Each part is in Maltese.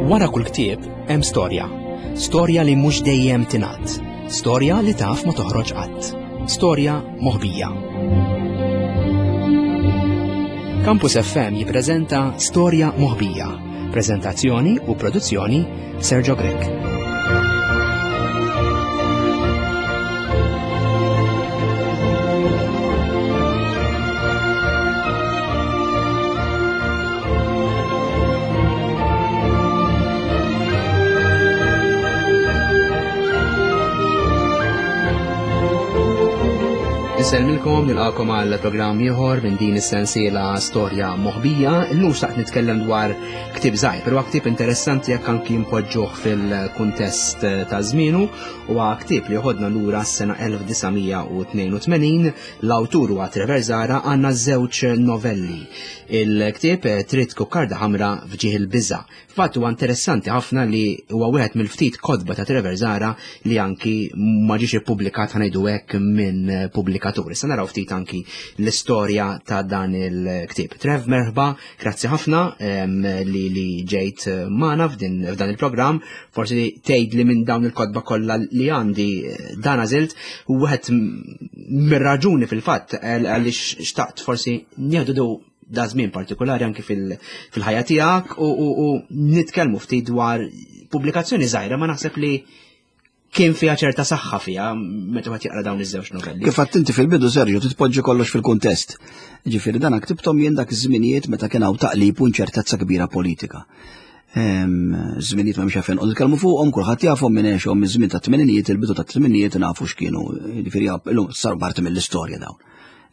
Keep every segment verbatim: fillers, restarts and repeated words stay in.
Wara kull ktieb hemm storja. Storja li mhux dejjem tingħad. Storja li taf ma toħroġ qatt. Storja moħbija. Campus F M jippreżenta Storja Moħbija. Preżentazzjoni u produzzjoni Sergio Grech. Insellmilkom, nilqakom għal programm ieħor minn din is-sensiela Storja Moħbija. Illum xtaqt nitkellem dwar ktieb żgħir, però ktieb interessanti jekk anki npoġġuh fil-kuntest ta' żmienu. Huwa ktieb li joħodna lura s-sena elf disa' mija u tnejn u tmenin, l-awtur huwa Trevor Zahra, għandna żewġ novelli. Il-ktieb Trid Kukkarda Ħamra f'Ġieħ il-Biża'. Fatt huwa interessanti ħafna li huwa wieħed mill-ftit kotba ta' Trevor Zahra li anki ma ġiex ippubblikat, ħanejdu hekk, minn pubblikatur. Issa naraw ftit anki l-istorja ta' dan il-ktieb. Trev, merħba, grazzi ħafna, em, li, li ġejt magħna f'din, f'dan il-programm. Forsi tgħid li minn dawn il-kotba kollha li għandi dan għażilt, u wieħed mir-raġuni fil-fatt għaliex xtaqt forsi nieħdu du da żmien partikolari anki fil-, fil-ħajja tiegħek u, u, u nitkellmu ftit dwar pubblikazzjoni żgħira, ma naħseb li kien fiha ċerta saħħa fiha meta wieħed jaqra dawn iż-żewġ novelli. Kif għedt inti fil-bidu, Sergio, titpoġġi kollox fil-kuntest. Ġifieri dan ktibthom jien dak iż-żminijiet meta kien hawn taqlib u inċertezza kbira politika. Ehm, żminijiet ma mhux għalfejn noqogħdu nitkellmu fuqhom, kulħadd jafhom minn għexhom miż-żmien tat-tmeninijiet, il-bidu tat-tmeninijiet nafu x'kienu, ġifieri illum saru parti mill-istorja dawn.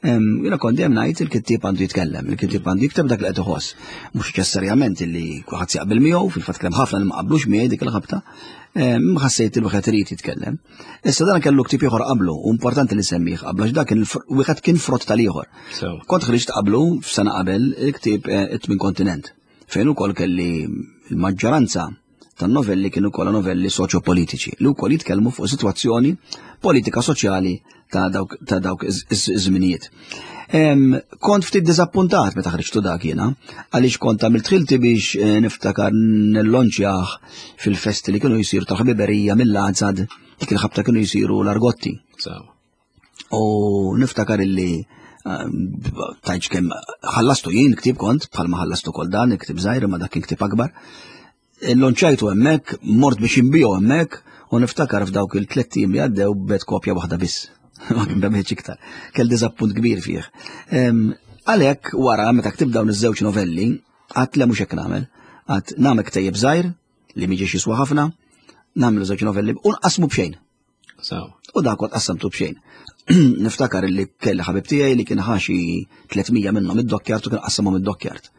Ehm, jiena kont dejjem ngħid il-kittieb għandu jitkellem, il-kittieb għandu jikteb dak li qed iħoss. Mhux neċessarjament illi kulħadd jaqbel miegħu, fil-fatt kellem ħafna li ma qablux miegħi dik il-ħabta. Ehm, ħassejt il wieħed irid jitkellem. Issa dan kellu ktieb ieħor qablu, u importanti li semmih qablu għax dak kien wieħed kien frott tal-ieħor. So. Kont ħriġt qablu f'sena qabel il-ktieb, eh, It-Tmien Kontinent, fejn ukoll kelli l-maġġoranza tan-novelli kienu kollha novelli soċjopolitiċi li wkoll jitkellmu fuq sitwazzjoni politika soċjali ta' dawk, ta' dawk iż-żminijiet. Em, kont ftit diżappuntat meta ħriġtu dak jiena, għaliex kont għamilt ħilti biex, eh, niftakar nillonċjah fil-festi li kienu jsiru tal-ħbiberija mill-Azad, dik il-ħabta kienu jsiru l-Argotti. So. U niftakar illi, ehm, tajġ kemm ħallastu jien ktieb kont, bħalma ħallastu kol dan, il-ktieb żgħir, imma dak kien ktieb akbar. Lonċajtu hemmhekk, mort biex inbiegħu hemmhekk, u niftakar f'dawk il-tliet ijiem li għaddew bet kopja waħda biss. Ma kien bemħiex iktar. Kell diżappunt kbir fih. Em, għalhekk wara meta ktib dawn iż-żewġ novelli, għadt le mhux hekk nagħmel. Għadt nagħmel ktejjeb żgħir li miġiex jiswa ħafna, nagħmlu żewġ novelli u nqasmu b'xejn. So. U dak kont qassamtu b'xejn. Niftakar li kelli ħabib tiegħi li kien ħaxi tliet mija minnhom id-dokkjart u kien qassamhom id-dokkjart.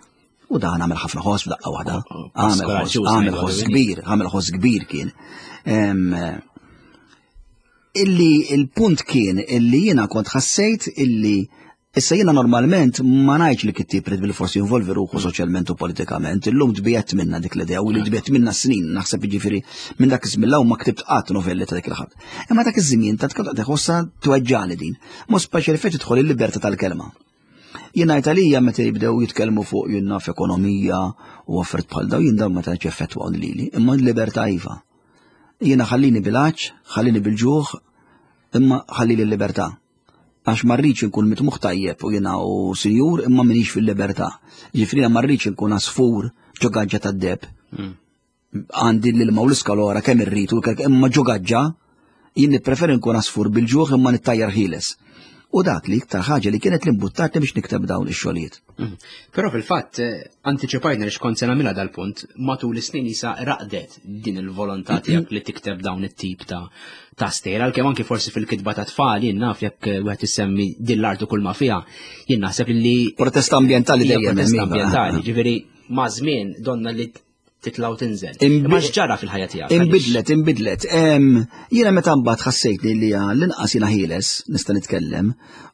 U dan għamel ħafna ħoss f'daqqa waħda. Oh, oh, Għamel Pascal, ħoss, ġuż, għamel ngħidu ħoss għalli. kbir, għamel ħoss kbir kien. Em, illi il-punt kien illi jiena kont ħassejt illi issa jiena normalment ma ngħidx li kittieb irid bil-forsi jinvolvi ruħu soċjalment u politikament, illum tbiegħet minna dik l-idea u li tbiegħet minna snin, naħseb jiġifieri minn dak iż-żmien law ma ktibt qatt novelli ta' dik il-ħadd. Imma dak iż-żmien ta' tkun tħossha tweġġani din, mod speċjali fejn tidħol il-libertà tal-kelma. Jien ngħid għalija meta jibdew jitkellmu fuq jien naf ekonomija u affarijiet bħal dawn, jien dawn ma tantx effettwaw lili, imma l-libertà iva. Jiena ħallini bil-għaġġ, ħallini bil-ġuħ, imma ħallili l-libertà. Għax ma rridx inkun mitmuħ tajjeb u jiena u sinjur imma m'iniex fil-libertà. Ġifieri ma rridx inkun għasfur ġo gaġġa tad-deb. Mm. Għandi l-ilma u l-iskalora kemm irrid u kemm imma ġo gaġġa, jien nippreferi nkun għasfur bil-ġuħ imma nittajjar ħieles. U dak li iktar ħaġa li kienet l-imbuttatni biex nikteb dawn ix-xogħlijiet. Mm. Però fil-fatt, eh, antiċipajna li xkont se nagħmilha dal-punt, matul is-snin isa raqdet din il-volontà tiegħek li tikteb dawn it-tip ta', ta' stejra, għalkemm anki forsi fil-kitba ta' tfal, jien naf jekk wieħed isemmi din l-art u kull ma fiha, jien naħseb li Protesta ambjentali hija dejjem protesta hemm, iva. ambjentali, ġifieri ma' żmien donna li titlaw tinżel. Imbi- Imma x'ġara fil-ħajja tiegħek? Imbidlet, imbidlet. Em, jiena meta mbagħad ħassejtni li l-inqas jiena ħieles nista' nitkellem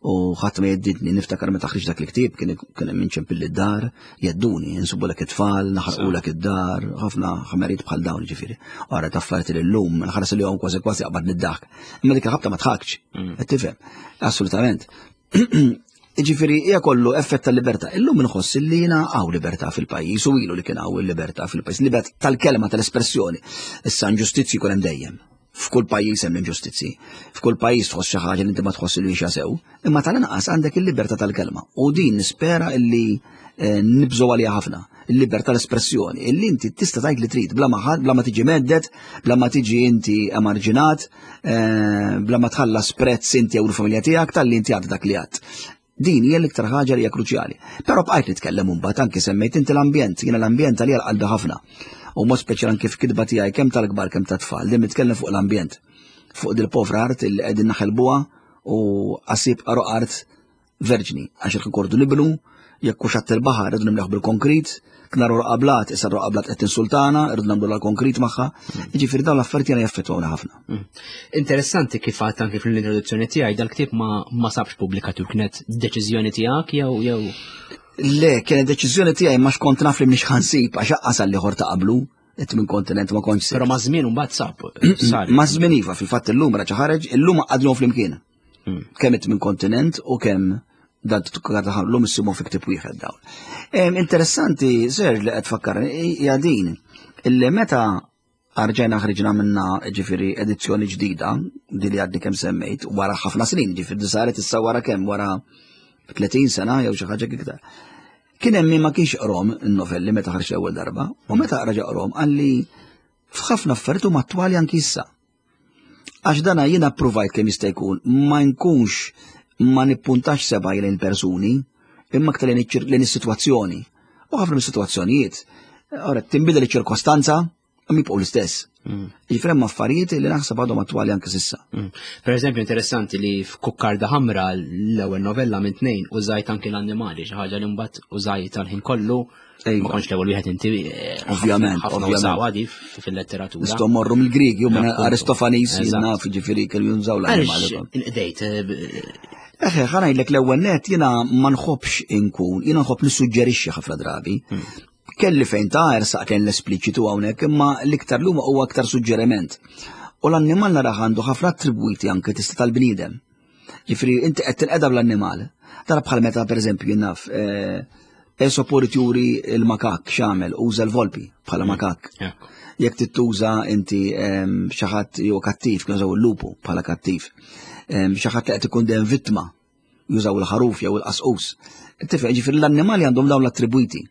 u ħadd ma jeddidni, niftakar meta ħriġ dak il-ktieb kien kien hemm inċempilli d-dar, jedduni, insubulek it-tfal, naħarqulek id-dar, ħafna ħmerijiet bħal dawn ġifieri. Ara taffariet li llum, nħares li hawn kważi kważi qabad niddaħk. Imma dik il-ħabta ma tħakx, Mm. qed tifhem? Assolutament. Ġifieri hija kollu effett tal-libertà. Illum inħoss li jiena hawn libertà fil-pajjiż u ilu li kien hawn il-libertà fil-pajjiż, libertà tal-kelma, tal-espressjoni. Issa inġustizzji jkun hemm dejjem. F'kull pajjiż hemm inġustizzi. F'kull pajjiż tħoss xi ħaġa li inti ma tħoss li hija sew, imma tal-inqas għandek il-libertà tal-kelma. U din nispera illi eh, nibżgħu għaliha ħafna. Il-libertà tal-espressjoni, illi inti tista' tgħid li trid bla ma ħadd, bla ma tiġi mhedded, bla ma tiġi inti emarġinat, eh, bla ma tħallas prezz inti jew l-familja tiegħek talli inti għad dak li għad. Din hija l-iktar ħaġa li hija kruċjali. Però bqajt nitkellem imbagħad, anki semmejt inti l-ambjent, jiena l-ambjent għalija l-qalbi ħafna. U mod speċjal anki f'kitba tiegħi kemm tal-kbar kemm tat-tfal, din nitkellem fuq l-ambjent. Fuq dil-povra art li qegħdin naħelbuha u qasib qaru art verġni, għax il-kordu nibnu, jekk hux għat il-baħar irridu nimleħ bil-konkrit, knaru qablat, issa qablat qed tinsultana, irridu nagħmlu l-konkrit magħha. Jiġifieri dawn l-affarijiet jiena jaffettwawna ħafna. Mm. Interessanti kif għadt anki fl-introduzzjoni tiegħi, dal-ktieb ma ma sabx pubblikatur, kienet deċiżjoni tiegħek jew jew Le, kienet deċiżjoni tiegħi, ma xkont naf li mhix ħansib għax aqqas għal ieħor ta' qablu, it-tmien kontinent ma kontx. Però ma' żmien imbagħad sab. Sar. Ma' żmien iva, fil-fatt illum raġa ħareġ, illum għadhom flimkien. Mm. Kemm it-tmien kontinent u kemm dan l-lum issimu fi ktieb wieħed dawn. Em, Interessanti, Serge, li qed tfakkar hija din illi meta rġajna ħriġna minna, ġifieri, edizzjoni ġdida, di li għadni kemm semmejt, wara ħafna snin, ġifieri saret issa wara kemm, wara tletin sena jew xi ħaġa iktar. Kien hemm min ma kienx qrom in-novelli meta ħarġ l-ewwel darba, u meta raġa qrom qalli f'ħafna affarijiet huma attwali anki issa. Għax dana jiena provajt kemm jista' jkun ma nkunx ma nippuntax seba' lejn persuni, imma aktar lejn iċ- lejn is-sitwazzjoni. U ħafna mis-sitwazzjonijiet, ora tinbidel iċ-ċirkostanza, imma jibqgħu l-istess. Mm. Jiġifieri hemm affarijiet li naħseb għadhom attwali anke s'issa. Mm. Per eżempju, interessanti li f'Kukkarda Ħamra, l-ewwel novella minn tnejn, użajt anki l-annimali, xi ħaġa li mbagħad użajt tal-ħin kollu. Ejwa. Ma kontx l-ewwel wieħed inti. eh, Ovvjament, ħafna ovvjament. użawha di fil-letteratura. Nistgħu morru mill-Grigi u minn Appunto. Aristofanis Eżatt. naf, ġifieri kienu jużaw l-annimali. Għaliex inqdejt eh, b- Eħe, ħa ngħidlek, l-ewwel net jiena ma nħobbx inkun, jiena nħobb nissuġġerixxi ħafna drabi. Kelli fejn ta' ersaq kien l-espliċitu hawnhekk, imma l-iktar luma huwa aktar suġġeriment. U l-annimal naraħ għandu ħafna attribwiti anke tista' tal-bniedem. Ġifieri inti qed tinqeda bl-annimal. Tara bħal meta, pereżempju, jien naf eh, Esopo juri il-makak x'għamel, uża l-volpi bħala makak. Ekku. Jekk tittuża inti em, xi ħadd jew kattiv, kienu jużaw il-lupu bħala kattiv. Em, Xi ħadd li qed ikun dejjem vittma, jużaw il-ħaruf jew il-qasqus. Tifhem, ġifieri l-annimali għandhom dawn l-attribwiti.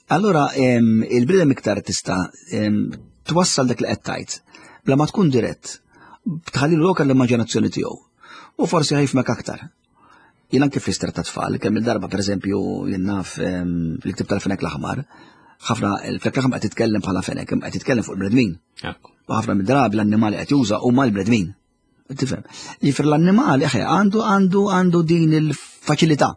Allora em, il-bniedem iktar tista' em, twassal dak li qed tgħid bla ma tkun dirett, tħalli lok l-immaġinazzjoni tiegħu. U forsi ħa jifhmek aktar. Jien anke fl ta' tfal, kemm il-darba, pereżempju, jien naf em, fil-ktib tal-Fenek l-Aħmar, ħafna il-Fenek l-Aħmar qed titkellem bħala fenek, imma qed titkellem fuq il-bnedmin. Ekku. U ħafna mid-drabi l-annimali qed juża huma l-bnedmin. Tifhem? Jiġifieri l-annimali eħe għandu għandu għandu din il-faċilità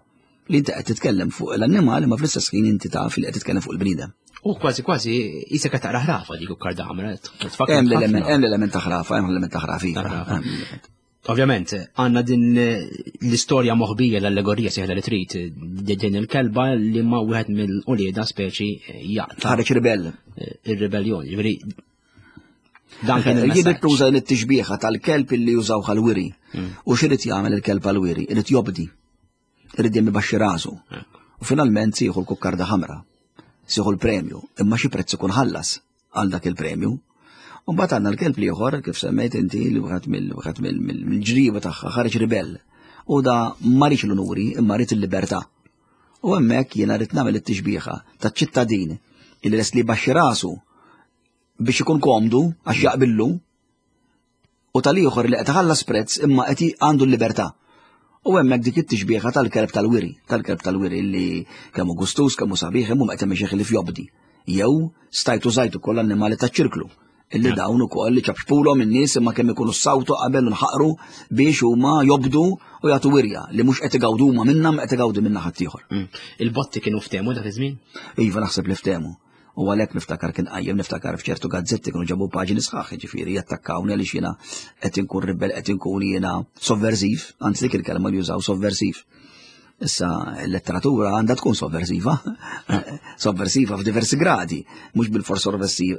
li inti qed titkellem fuq l-annimali ma fl-istess ħin inti taf li qed titkellem fuq il-bniedem. U kważi kważi jisek qed taqra ħrafa dik Kukkarda Ħamra. Tfakkar Hemm l-element ħafna. Hemm l-element ta' ħrafa, hemm l-element ta' ħrafa. Iva. Ta' ħrafa. Hemm l-element. Ovvjament, għandna din l-istorja moħbija, l-allegorija sieħla li trid, din il-kelba li ma wieħed mill-ulieda speċi jaqta' Ħareġ ribell. ir-ribelljoni. Ġifieri dan kien Jien il-messaġġ. tuża l-tixbieħa tal-kelb illi jużaw għal-wiri. U x'irid jagħmel il-kelb għal-wiri? Irid jobdi. Irid jemmi baxxi rasu. U finalment sieħu l-kukkarda ħamra. Sieħu l-premju. Imma xi prezz ikun ħallas għal dak il-premju. U mbagħad għandna l-kelb l-ieħor, kif semmejt inti, li wieħed mill wieħed mill- mill- mill-ġriba tagħha ħareġ ribell. U da ma riedx l-unuri imma ried il-libertà. U hemmhekk jiena rrid nagħmel it-tixbieħa taċ-ċittadin illi lest li baxxi rasu biex ikun komdu għax jaqbillu u tal-ieħor li qed iħallas prezz imma qed għandu l-libertà. U hemmhekk dik it-tixbieħa tal-kelb tal-wiri, tal-kelb tal-wiri li kemm hu gustus, kemm hu sabiħ, imma qed hemm li fjobdi. Jew stajtu żajtu koll annimali taċ-ċirklu illi dawn ukoll li ċapxpulhom in-nies imma kemm ikunu sawtu qabel u nħaqru biex huma jobdu u jagħtu wirja li mhux qed igawdu huma minnha ma qed igawdu minna ħaddieħor. Mm. Il-botti kienu ftehmu dak iż-żmien? Iva, naħseb li ftehmu. U għalhekk niftakar kien qajjem, niftakar f'ċertu gazzetti kienu ġabu paġni sħaħ, ġifieri jattakkawni għaliex jiena qed inkun ribel, qed inkun jiena sovversiv, anzi dik il-kelma li jużaw, sovversiv. Issa l-letteratura għandha tkun sovversiva, sovversiva f'diversi gradi, mhux bil-fors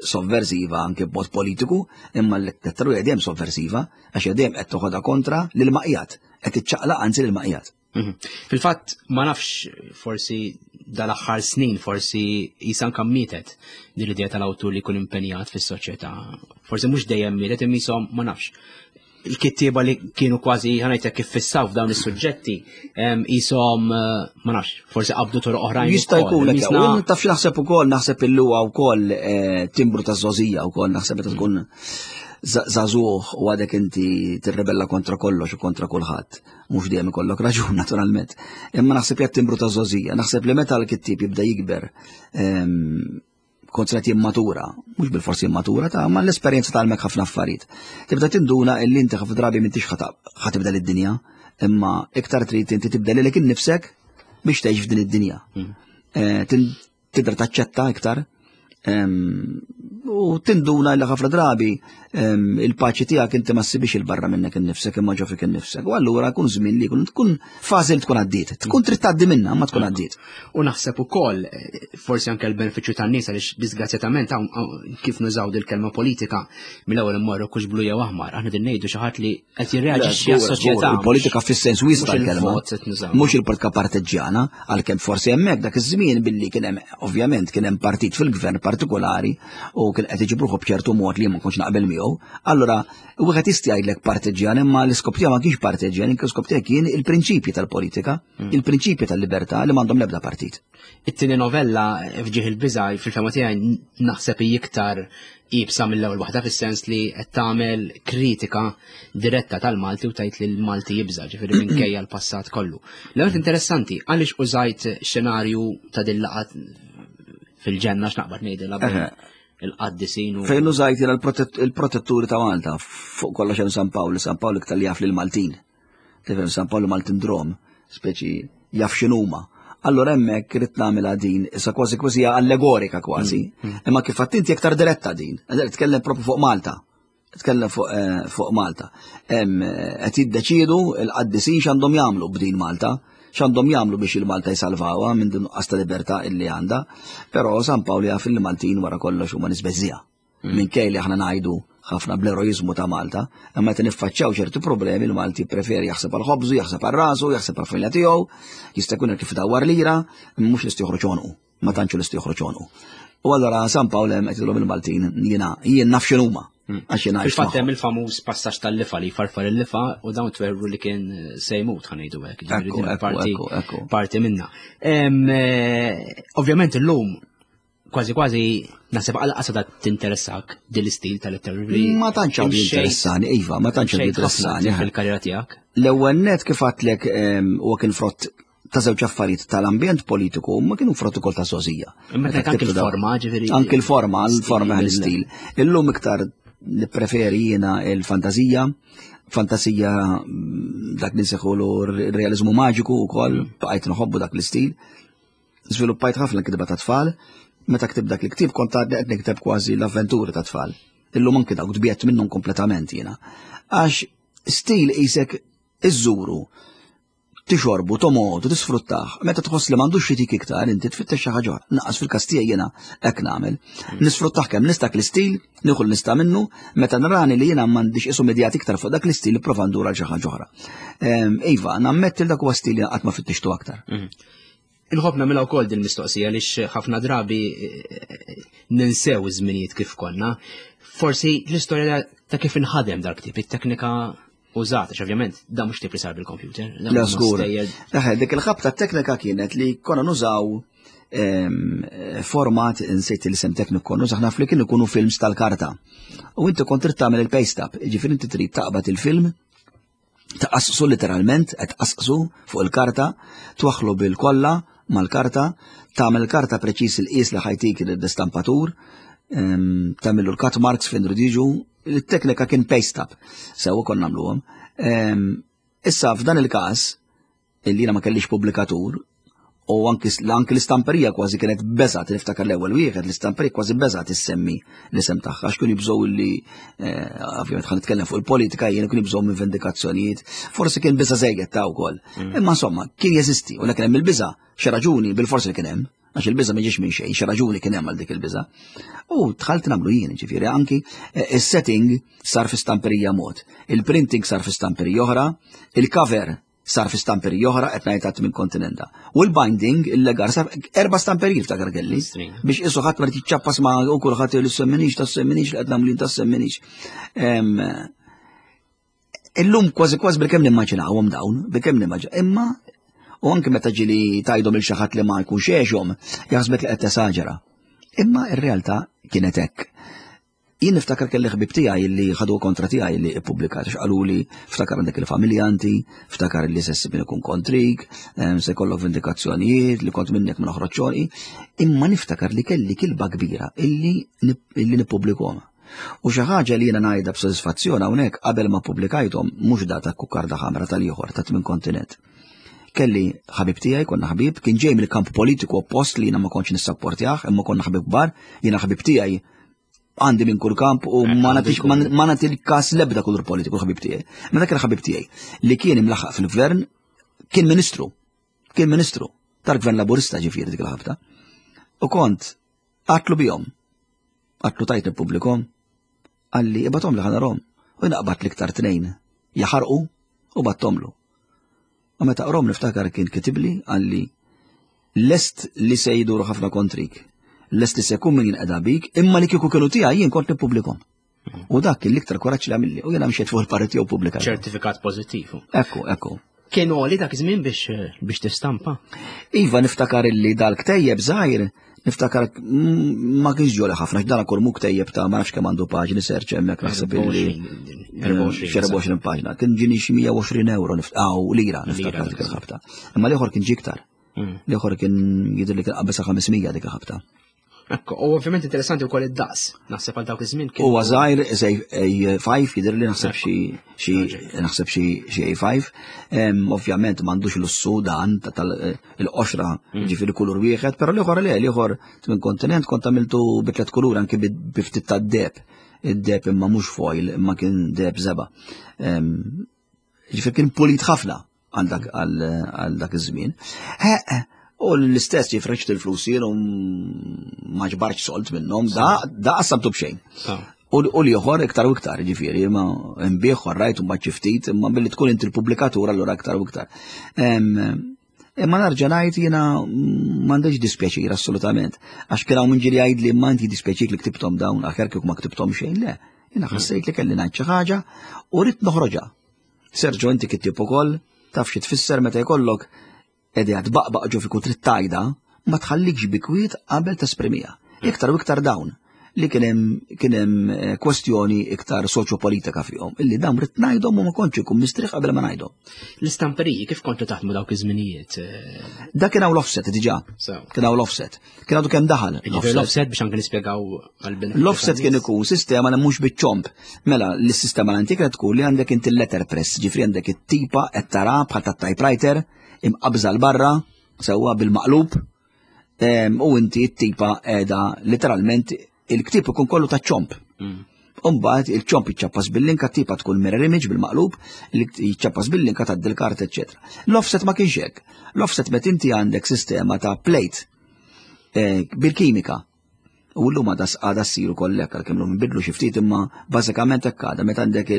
sovversiva anke b'mod politiku, imma l-letteratura dejjem sovversiva għax dejjem qed toħodha kontra lil maqjat, qed iċċaqlaq anzi lil maqjat. Mhm. Fil-fatt, ma nafx, forsi dal-aħħar snin, forsi jisan kam mietet din l-idea tal-awtur li jkun impenjat fis-soċjetà. Forsi mhux dejjem mietet, imma jisom ma nafx. Il-kittieba li kienu kważi, ħa ngħidlek, kif fissaw f'dawn is-suġġetti, jisom, eh, ma nafx, forsi qabdu toroq oħrajn. Jista' jkun hekk. Taf naħseb ukoll, naħseb illu wkoll eh, timbru ta' żgħożija wkoll, naħseb meta tkun żagħżugħ u għadek inti tirrebella kontra kollox u kontra kulħadd. Mhux dejjem ikollok raġun, naturalment. Imma naħseb jgħat timbru ta' żgħożija. Naħseb li meta l-kittieb jibda jikber, kont qed jimmatura, mhux bil-forsi jimmatura ta' ma l-esperjenza tgħallmek ħafna affarijiet. Tibda tinduna illi inti ħafna drabi m'intix ħa tibdel id-dinja, imma iktar trid inti tibdel lilek innifsek biex tgħix f'din id-dinja. Hmm. Eh, tibda taċċetta iktar u tinduna li ħafna drabi il-paċi tiegħek inti ma ssibix il-barra minnek innifsek imma ġo fik innifsek. U allura kun żmien li kun tkun fażi li tkun għaddiet. Tkun trid tgħaddi minnha, ma tkun għaddiet. U naħseb ukoll forsi anke l-benefiċċju tan-nies, għaliex disgrazzjatament kif nużaw dil-kelma politika, mill-ewwel immorru kux blu jew aħmar. Aħna din ngħidu xi ħadd li qed jirreaġixxi għas-soċjetà. Il-politika fis-sens wiesa' tal-kelma. Mhux il-politika parteġġjana, għalkemm forsi hemmhekk dak iż-żmien billi kien hemm, ovvjament, kien hemm partit fil-gvern partikolari u kien qed iġibruħu b'ċertu mod li ma kontx naqbel miegħu. Allura wieħed jista' jgħidlek parteġġjan, imma l-iskop tiegħu ma kienx parteġġjan, l-iskop tiegħu kien il-prinċipji tal-politika, mm. il-prinċipji tal-libertà li m'għandhom l-ebda partit. It-tieni novella, F'Ġieħ il-Biża', fil-fehma tiegħi naħseb iktar iebsa mill-ewwel waħda, fis-sens li qed tagħmel kritika diretta tal-Malti u tajt li l-Malti jibża', ġifieri minkejja l-passat kollu. L-ewwel interessanti, għaliex użajt xenarju ta' din laqgħa fil-ġenna, x'naqbad ngħidilha, il-qaddisin u Fejn użajt il-protetturi ta' Malta, fuq kollox hemm San Pawl, San Pawl iktar li jaf lil Maltin. Tifhem, San Pawl Maltin drom, speċi jaf x'inhuma. Allora hemmhekk irid nagħmilha din, issa kważi kważi allegorika kważi, mm, mm. imma kif inti iktar diretta din, tkellem propju fuq Malta. Tkellem fuq eh, fuq Malta. Eh, qed jiddeċiedu l-qaddisin x'għandhom jagħmlu b'din Malta, x'għandhom jagħmlu biex il-Malta jsalvawha minn din nuqqas ta' libertà illi għandha. Però San Pawl jaf li Maltin wara kollox huma nies beżżiegħa. Mm. Minkej li aħna ngħidu ħafna bl-eroizmu ta' Malta, imma meta niffaċċjaw ċerti problemi l-Malti preferi jaħseb għal ħobżu, jaħseb għal rasu, jaħseb għal familja tiegħu, jista' jkun kif dawar lira, mhux lest joħroġ għonqu, ma tantx lest joħroġ għonqu. U allura San Pawl hemm qed il-Maltin, jiena jien naf x'inhuma. Mm. Għax jiena Fil-fatt hemm il-famuż passaġġ tal-lifa li farfar il-lifa u dawn twerru li kien se jmut, ħa ngħidu hekk. Parti, parti minna. Eh, ovvjament illum kważi kważi naħseb għal qasada tinteressak din l-istil tal-letteratura. Ma tantx għadu interessani, iva, ma tantx għadu interessani. Fil-karriera tiegħek. L-ewwel net, kif għedtlek, huwa kien frott ta' żewġ affarijiet, tal-ambjent politiku, ma kienu frott ukoll ta' żgħożija. Imma anke il-forma, ġifieri. Anke il-forma, l-forma, l-istil. Illum iktar nippreferi jiena il-fantazija, fantasija, mm, dak li nsejħulu realizmu maġiku wkoll, bqajt nħobbu dak l-istil. Żviluppajt ħafna kitba ta' tfal, meta ktib dak il-ktib kont għadni qed nikteb kważi l-avventuri ta' tfal. Illum anki dawk tbiegħedt minnhom kompletament jiena. Għax stil isek iżżuru, tixorbu, tomodu, tisfruttaħ. Meta tħoss li m'għandux xi tik iktar, inti tfittex xi ħaġa oħra. Naqas fil-każ tiegħi jiena hekk nagħmel. Nisfruttaħ kemm nista' l-istil, nieħu nista' minnu, meta narani li jiena m'għandix isu medjat iktar fuq dak l-istil, nipprova ndur għal xi ħaġa oħra. Iva, nammetti dak huwa stil li qatt ma fittixtu aktar. Mhm. Inħobb nagħmilha wkoll din mistoqsija għaliex ħafna drabi eh, ninsew iż-żminijiet kif konna. Forsi l-istorja ta' kif inħadem dal-ktib, it-teknika użata, ovvjament da mhux tip li sar bil-computer. La żgur. Eħe, dik il-ħabta teknika kienet li konna nużaw format, insejt l-isem tekniku, konna nużaw naf li kienu ikunu films tal-karta. U inti kont trid tagħmel il-paste up, ġifieri inti trid taqbad il-film, taqassu literalment, qed tqasqsu fuq il-karta, twaħlu bil-kolla mal-karta, tagħmel karta preċis il-qis li ħa jtik l-istampatur, tagħmillu l-cut marks fejn jiġu, il-teknika kien paste up, sewa konna nagħmluhom. Issa f'dan il-każ, illi jiena ma kellix pubblikatur, u anki l-istamperija kważi kienet beżat, niftakar l-ewwel wieħed, l-istamperija kważi beżat issemmi l-isem tagħha, għax kienu jibżgħu li, eh, ovvjament ħa nitkellem fuq il-politika jien, kienu jibżgħu minn vendikazzjonijiet, forsi kien biża żejjed ta' wkoll. Mm. Imma insomma, kien jeżisti, u kien hemm il-biża, xi raġuni bil-forsi li kien hemm, għax il-biża ma ġiex minn xejn, xi raġuni kien hemm għal dik il-biża. U dħalt nagħmlu jien, ġifieri anki eh, is-setting sar fi stamperija mod, il-printing sar fi stamperija oħra, il-cover Sar fi stamperiji oħra qed ngħid minn kontinenta. U l-binding, il-legar, sar erba' stamperiji ftakar kelli. Biex isu ħadd ma jiċċappas ma u kulħadd li semminix ta' semminix li qed nagħmlu ta' semminix. Illum kważi kważi bilkemm nimmaġinawhom dawn, bilkemm nimmaġinaw. Imma u anke meta ġieli tgħidhom lil xi ħadd li ma jkunx għexhom, jaħsbek li qed tesaġera. Imma ir-realtà kienet hekk. Jien niftakar kelli ħbib tiegħi li ħadu kontra tiegħi li ippubblikat għax qaluli ftakar għandek il-familja inti, ftakar li se ssib ikun kontrik, se jkollok vindikazzjonijiet li kont minnek ma noħroġ xogħli. Imma niftakar li kelli kilba kbira illi illi nippubblikhom. U xi ħaġa li jiena ngħidha b'sodisfazzjon hawnhekk qabel ma pubblikajthom mhux da ta' kukarda ħamra tal-ieħor ta' tmien kontinent. Kelli ħabib tiegħi, konna ħabib, kien ġej mill-kamp politiku oppost li jiena ma kontx nissapportjah, imma konna ħabib kbar, jiena ħabib tiegħi għandi minn kull kamp u ma nagħtix ma nagħti l-każ l-ebda kulur politiku ħabib tiegħi. Ma dak il-ħabib tiegħi li kien imlaħaq fil-gvern kien ministru. Kien ministru tal-gvern laburista ġifieri dik il-ħabta. U kont għedtlu bihom. Għedtlu tajt nippubblikhom. Qalli ibgħathom li ħa narahom. U jiena qbadt l-iktar tnejn jaħarqu u bgħatthomlu. U meta qrahom niftakar kien kitibli qalli lest li se jduru ħafna kontrik lest li se jkun min jinqeda bik, imma li kieku kienu tiegħi jien kont nippubblikhom. U dak kien l-iktar kuraġġ li għamilli, u jiena mxiet fuq il-parti u pubblika. Ċertifikat pożittiv. Ekku, ekku. Kien għoli dak iż-żmien biex biex tistampa? Iva, niftakar illi dal-ktejjeb żgħir, niftakar ma kienx ġoli ħafna, x'dana kull mu ktejjeb ta' ma nafx kemm għandu paġni serċ hemmhekk naħseb illi erbgħa u għoxrin paġna. Kien ġini xi mija u għoxrin euro aw lira niftakar dik il-ħabta. Imma l-ieħor kien ġi iktar. L-ieħor kien jidher li kien qabeż ħames mija dik il-ħabta. Ekku, u ovvjament interessanti wkoll id-daqs, naħseb għal dawk iż-żmien kien. Huwa żgħir A ħamsa jidher li naħseb xi xi naħseb xi xi A ħamsa. Ovvjament m'għandux lussu dan tal-qoxra mm. ġifieri kulur wieħed, però l-ieħor le, l-ieħor minn kontinent kont għamiltu bi tliet kulur anke bi ftit tad-deheb. Id-deheb imma mhux foil, imma kien deheb żebgħa. Ġifieri kien pulit ħafna għal dak iż-żmien. U l-istess ġifreċt il-flus jien u ma ġbarx sold minnhom, da da qassamtu b'xejn. U l-ieħor iktar u iktar, ġifieri, ma nbigħ rajt u mbagħad ftit, imma billi tkun inti l-pubblikatur allura iktar u iktar. Imma nerġa' ngħid jiena m'għandix dispjaċir assolutament. Għax kien hawn min ġieli jgħid li ma inti dispjaċik li ktibthom dawn aħjar kieku ma ktibthom xejn, le. Jiena ħassejt li kelli ngħid xi ħaġa u rrid noħroġha. Sergio, inti kittib ukoll, taf xi tfisser meta jkollok idea tbaqbaq ġo fik u trid tgħidha, ma tħallikx bi kwiet qabel tesprimiha. Iktar u iktar dawn li kien hemm kien hemm eh, kwestjoni iktar soċjopolitika fihom, illi dawn rrid ngħidhom u ma kontx ikun mistrieħ qabel ma ngħidhom. L-istamperiji kif kontu taħdmu dawk iż-żminijiet? Da kien hawn l-offset diġà. Kien hawn l-offset. Kien għadu kemm daħal. L-offset biex anke nispjegaw għal L-offset kien ikun sistema li mhux biċ-ċomp. Mela, l-sistema l-antika tkun li għandek inti l-letterpress, ġifri għandek it-tipa qed tara bħal tat-typewriter imqabża 'l barra sewwa bil-maqlub u inti t-tipa qiegħda literalment il-ktib ikun kollu ta' ċomp. Mm. Umbagħad il-ċomp jiċċappas bil-linka, tipa tkun mirror image bil-maqlub, jiċċappas bil-linka ta' dil-kart, eċetera. L-offset ma kienx hekk. L-offset met inti għandek sistema ta' plate eh, bil-kimika. U l-lum għada għada ssir ukoll hekk għalkemm llum nbidlu xi ftit imma bażikament hekk għada meta għandek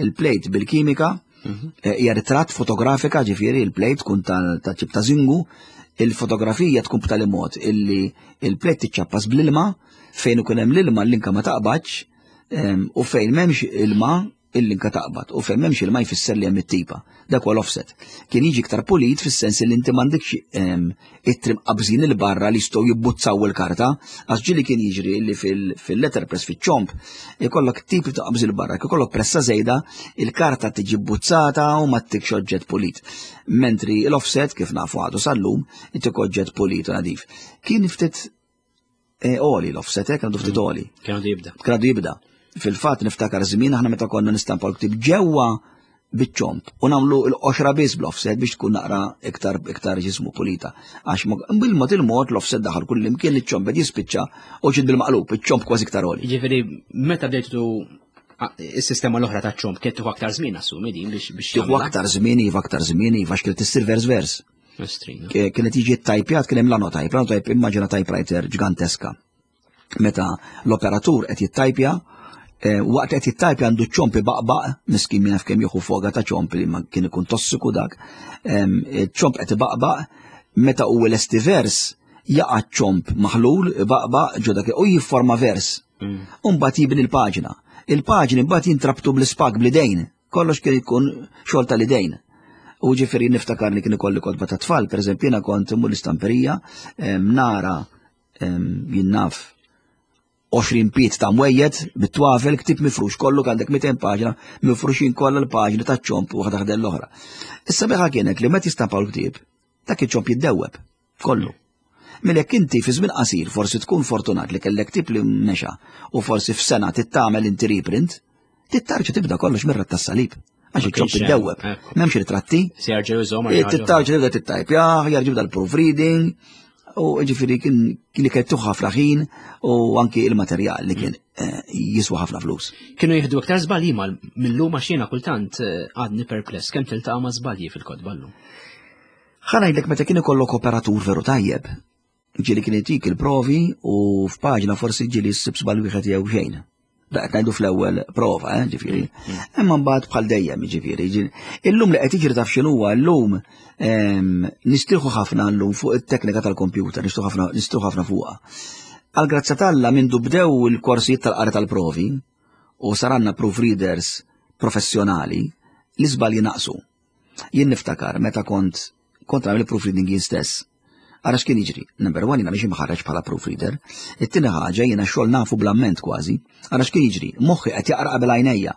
il-plate bil-kimika mhm. eh, hija ritratt fotografika ġifieri il-plate tkun ta' ċib ta' zingu, il-fotografija tkun b'tali mod illi il-plate tiċċappas bl-ilma fejn ikun hemm l-ilma l-linka ma taqbadx u fejn m'hemmx ilma il-linka taqbad u fejn m'hemmx ilma jfisser li hemm it-tipa. Dak huwa l-offset. Kien jiġi iktar pulit fis-sens li inti m'għandekx ittri mqabżin 'il barra li jistgħu jibbuzzaw il-karta, għax ġieli kien jiġri li fil-letterpress fiċ-ċomp ikollok tipi ta' qabżil barra, ikollok pressa żejda, il-karta tiġi bbuzzata u ma ttikx oġġett pulit. Mentri l-offset kif nafu għadu sal-lum, ittik oġġett pulit u nadif. Kien ftit eh, għoli l-offset, eh, kien għadu ftit għoli. Kien għadu jibda. Kien għadu jibda. Fil-fatt niftakar żmien aħna meta konna nistampa l-ktib ġewwa biċ-ċomp u nagħmlu l-qoxra biss bl-offset biex tkun naqra iktar iktar ġismu pulita. Għax bil-mod il-mod l-offset daħal kull imkien iċ-ċomp bed jispiċċa u ġid bil-maqlub, iċ-ċomp kważi iktar għoli. Jiġifieri meta bdejtu is-sistema l-oħra ta' ċomp kien tieħu aktar żmien assumi din biex biex Tieħu aktar żmien, iva aktar żmien, iva x'kienet issir vers vers. Kienet jiġi tajpjat kien hemm l-Linotype, l-Linotype immaġina typewriter ġiganteska. Meta l-operatur qed jittajpja, Eh, waqt qed jittajpja għandu ċomp ibaqbaq, miskin min jaf kemm jieħu foga ta' ċomp li ma kien ikun tossiku dak. Ċomp qed ibaqbaq, meta u lesti vers, jaqa' ċomp maħlul, ibaqbaq ġo dak u jifforma vers. Mm. U mbagħad jibni l-paġna. Il-paġni mbagħad jintrabtu bl-ispag bl-idejn. Kollox kien ikun xogħol tal-idejn. U ġifieri niftakar li kien ikolli kotba ta' tfal, pereżempju jiena kont immur l-istamperija, nara jien naf għoxrin pied ta' mwejjed bit-twafel, ktieb mifrux kollu għandek mitejn paġna, mifruxin kollha l-paġni ta' ċomp waħda ħdejn l-oħra. Issa biħa kienet li meta jistampaw l-ktieb, dak iċ-ċomp jiddewweb kollu. Mela jekk inti fi żmien qasir forsi tkun fortunat li kellek ktieb li mexa u forsi f'sena tittamel inti reprint, tittarġa tibda kollox mirra tas-salib. Għax iċ-ċomp iddewweb. M'hemmx ritratti. Tittarġa tibda tittajpja, jerġa' jibda l-proofreading, u ġifieri kien kien kellu ħafna ħin u anki il-materjal li kien eh, jiswa ħafna flus. Kienu jieħdu iktar żbalji mill-lum għax jiena kultant eh, għadni perpless kemm tiltaqa' ma' żbalji fil-kotba llum. Ħa ngħidlek meta kien ikollok operatur veru tajjeb, ġieli kien itik il-provi u f'paġna forsi ġieli ssib żball wieħed jew xejn. Da qed ngħidu fl-ewwel prova, eh, ġifieri. Mm. Imma mbagħad bħal dejjem, ġifieri. Illum li qed jiġri taf x'inhuwa llum nistrieħu ħafna llum fuq it-teknika tal-kompjuter, nistrieħu ħafna nistrieħu ħafna fuqha. Għal grazzja t'Alla mindu bdew il-korsijiet tal-qari tal-provi u saranna proofreaders professjonali, l-iżbalji naqsu. Jien niftakar meta kont kont nagħmel proofreading jien stess. Ara x'kien jiġri. Number one, jiena mhix imħarreġ bħala proofreader. It-tieni ħaġa jiena xogħol nafu bl-amment kważi. Ara x'kien jiġri. Moħħi qed jaqra qabel għajnejja.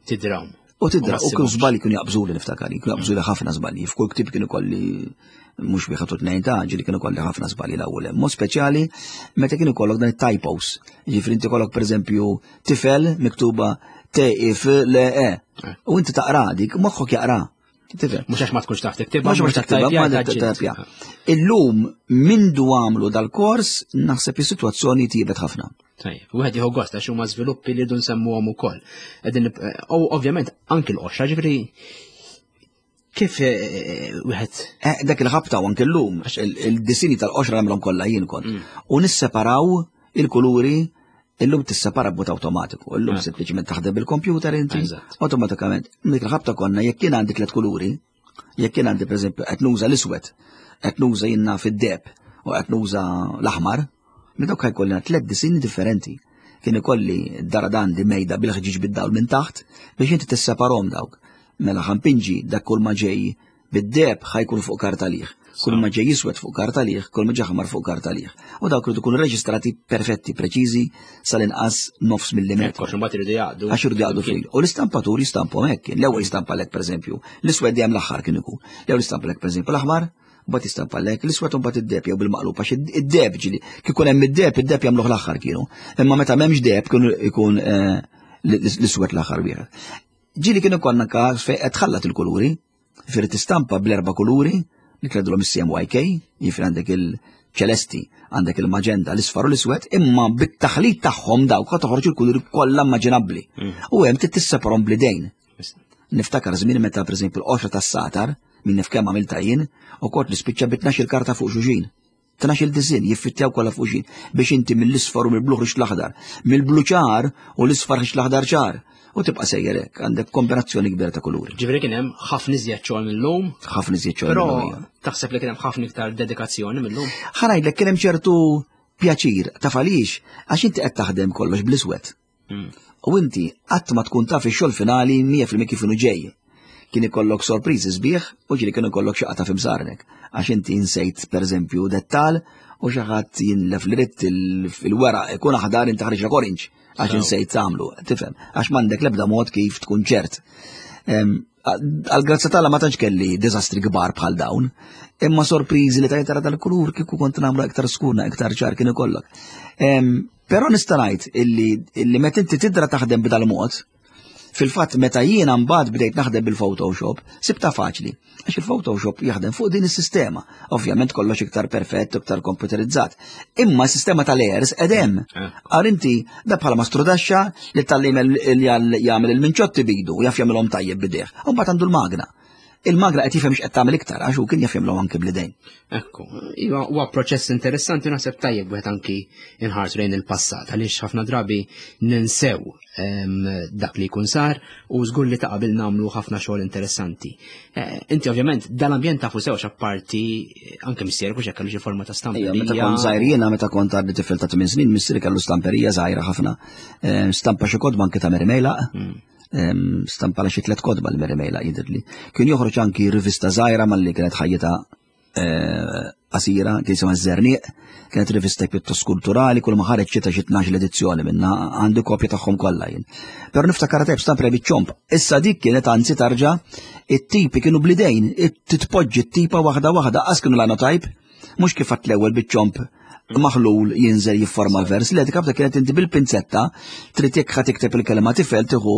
Tidrawm. U tidra, u kienu żbalji kienu jaqbżuli niftakar, kienu jaqbżuli ħafna żbalji. F'kull ktieb kienu kolli mhux wieħed u tnejn ta' ġieli kienu kolli ħafna żbalji l-ewwel. Mod speċjali meta kienu kollok dan it-typos. Ġifieri inti kollok pereżempju tifel miktuba T I F L E. U inti taqra dik, moħħok jaqra. Tifhem. Mhux għax ma tkunx taf tiktibha, Mhux għax tiktibha, ma tajpja. Illum mindu għamlu dal-kors naħseb is-sitwazzjoni tjiebet ħafna. Tajjeb, wieħed jieħu gost għax huma żviluppi li rridu nsemmuhom ukoll. Qegħdin u ovvjament anki l-qoxra, ġifieri kif, eh, wieħed Eh, dak il-ħabta u anke llum, għax il-disini tal-qoxra nagħmilhom kollha jien kont. Mm. U nisseparaw il-kuluri, illum tissepara b'mod awtomatiku, illum ah. sempliċement taħdem bil-kompjuter inti, awtomatikament. Dik il-ħabta konna jekk kien għandi tliet kuluri, jekk kien għandi pereżempju qed nuża l-iswed, qed nuża jiena fid-deb u qed nuża l-aħmar, minn dawk ħajkollna tliet disini differenti. Kien ikolli d-daradan di mejda bil-ħġiġ bid-dawl minn taħt biex inti tisseparhom dawk. Mela ħampinġi dak kull ma ġej bid-deb ħajkun fuq karta liħ. Kull ma ġej jiswed fuq karta liħ, kull ma ġej aħmar fuq karta liħ. U dawk iridu jkunu reġistrati perfetti, preċiżi sal-inqas nofs millimetru. Għax imbagħad iridu jaqdu. Għax iridu jaqdu fil. U l-istampatur jistamphom hekk. L-ewwel jistampalek pereżempju, l-iswed dejjem l-aħħar kien ikun. L-ewwel jistampalek pereżempju l-aħmar, mbagħad jistampalek l-iswed u mbagħad id-deb jew bil-maqlub għax id-deb ġieli kif ikun hemm id-deb, id-deb jagħmluh l-aħħar kienu. Imma meta m'hemmx deb kienu ikun, eh, l-iswed l-aħħar wieħed. Ġieli kienu konna każ fejn qed tħallat il-kuluri, firri tistampa bl-erba' kuluri, li kredulhom is-C M Y K, jiġifieri għandek il-ċelesti, għandek il-maġenda, l-isfar u l-iswed, imma bit-taħlit tagħhom dawk qed toħroġ il-kuluri kollha immaġinabbli. Mm. U hemm trid tisseparhom bl-idejn. Niftakar żmien meta pereżempju l-qoxra tas-satar, min nif kemm għamilta jien, u kont nispiċċa bi tnax-il karta fuq xulxin. Tnax-il diżin jiffittjaw kollha fuq xulxin biex inti mill-isfar u mill-blu ħriġt l-aħdar, mill-blu ċar u l-isfar ħriġt l-aħdar ċar. U tibqa' sejjer hekk, għandek kombinazzjoni kbira ta' kuluri. Ġifieri kien hemm ħafna iżjed xogħol mill-lum. Ħafna iżjed xogħol Però mill-lum, ija. taħseb li kien hemm ħafna iktar dedikazzjoni mill-lum? Ħa ngħidlek kien hemm ċertu pjaċir, taf għaliex, għax inti qed taħdem kollox bl-iswed. Mm. U inti qatt ma tkun taf ix-xogħol finali mija fil-mija kif inhu ġej. Kien ikollok sorpriżi sbieħ u ġieli kien ikollok xi qata' f'imsarnek. Għax inti insejt pereżempju dettal u xi ħadd jinlef li ridt il-, il-weraq ikun aħdar inti ħareġ orange għax Sew. insejt tagħmlu, tifhem, għax m'għandek l-ebda mod kif tkun ċert. Em, għal-grazzja t'Alla ma tantx kelli diżastri kbar bħal dawn, imma sorpriżi li tajt tara dal-kulur kieku kont nagħmlu iktar skurna, iktar ċar kien ikollok. Em, però nista' ngħid illi, illi meta inti tidra taħdem b'dal-mod, fil-fatt meta jiena mbagħad bdejt naħdem bil-Photoshop, sibta faċli, għax il-Photoshop jaħdem fuq din is-sistema. Ovvjament kollox iktar perfett, iktar komputerizzat. Imma s-sistema tal-layers edem. Eh. Għar inti da bħala mastrudaxxa li tal-lim jagħmel il-minċotti bidu, jaf jagħmilhom tajjeb bidejh. U mbagħad għandu l-magna. Il-magra qed jifhem x'qed tagħmel iktar għax hu kien jaf jagħmlu anke bl-idejn. Ekku, iva huwa proċess interessanti, naħseb tajjeb wieħed anki inħarsu lejn il-passat għaliex ħafna drabi ninsew dak li jkun sar u żgur li ta' qabel nagħmlu ħafna xogħol interessanti. Eh, inti ovvjament dal-ambjent tafu sew apparti anke missierek u kellu xi forma ta' stamperija. Meta kont żgħir jiena, meta kont għadni tifel ta' tmien snin, missieri kellu stamperija żgħira ħafna. Stampa xi kotba anke ta' Mary Mejlaq. Hmm. Stampa la xi tliet kotba l-Mary Mejlaq jidhirli. Kien joħroġ anki rivista żgħira malli kienet ħajjita eh, qasira, kien jisimha Żerniq, kienet rivista pjuttost kulturali, kull ma ħareġ xita xi tnax l-edizzjoni minna, għandi kopja tagħhom kollha jien. Però niftakar tajb stampa biċ-ċomb. Issa dik kienet anzi tarġa' it-tipi kienu bl-idejn, titpoġġi t-tipa waħda waħda, qas kienu linotype, mhux kif għat l-ewwel biċ-ċomb maħlul jinżel jifforma l-vers, li dik kienet inti bil-pinzetta, trid jekk ħa tikteb il-kelma tifel tieħu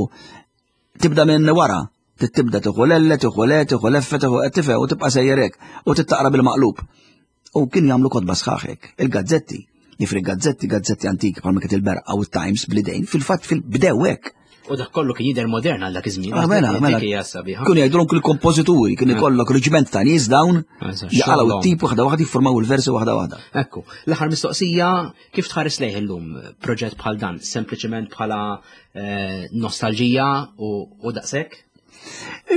tibda minn wara, tibda tieħu l-elle, tieħu le, tieħu l-effe, tieħu tifel u tibqa' sejjerek u tittaqra bil-maqlub. U kien jagħmlu kotba sħaħek, il-gazzetti, jifri gazzetti, gazzetti antiki bħalma kien il-Berqa u t-Times bl-idejn, fil-fatt fil-bdew hekk. U dak kollu kien jidher modern għal dak iż-żmien. Ah, mela, mela. Dik hija sabiħa. Kienu jgħidulhom kull kompożituri, kien ikollok reġiment ta' nies dawn jaqalgħu t-tip waħda waħda jiffurmaw il-versi waħda waħda. Ekku, l-aħħar mistoqsija, kif tħares lejh illum proġett bħal dan? Sempliċement bħala eh, nostalġija u daqshekk?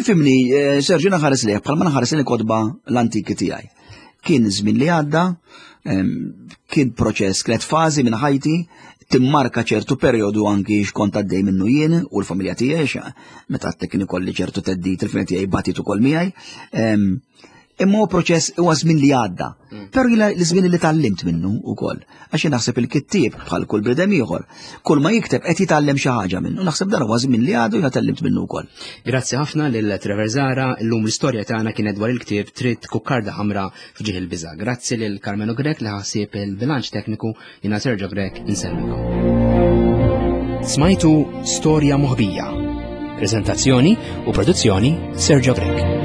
Ifhimni, eh, Sergio, naħares lejh bħalma naħares lejn kotba l-antiki tiegħi. Kien żmien li għadda, kien proċess, kienet fażi minn ħajti, timmarka ċertu perjodu anki x'kont għaddej minnu jien u l-familja tiegħi, meta għadtek kien ikolli ċertu theddid, il-familja tiegħi batit ukoll miegħi. Imma huwa proċess, huwa żmien li għadda. Mm. Però jiena l-żmien li tgħallimt minnu wkoll. Għax jien naħseb il-kittieb bħal kull bniedem ieħor, kull ma jikteb qed jitgħallem xi ħaġa minnu. Naħseb dan huwa żmien li għadu jiena tgħallimt minnu wkoll. Grazzi ħafna lil Trevor Zahra, illum l-istorja tagħna kienet dwar il-ktieb Trid Kukkarda Ħamra f'ġieħ il-biża'. Grazzi lil Carmelo Grech li ħassieb il-bilanċ tekniku, jiena Sergio Grech insellmilkom. Smajtu Storja Moħbija. Prezentazzjoni u produzzjoni Sergio Grech.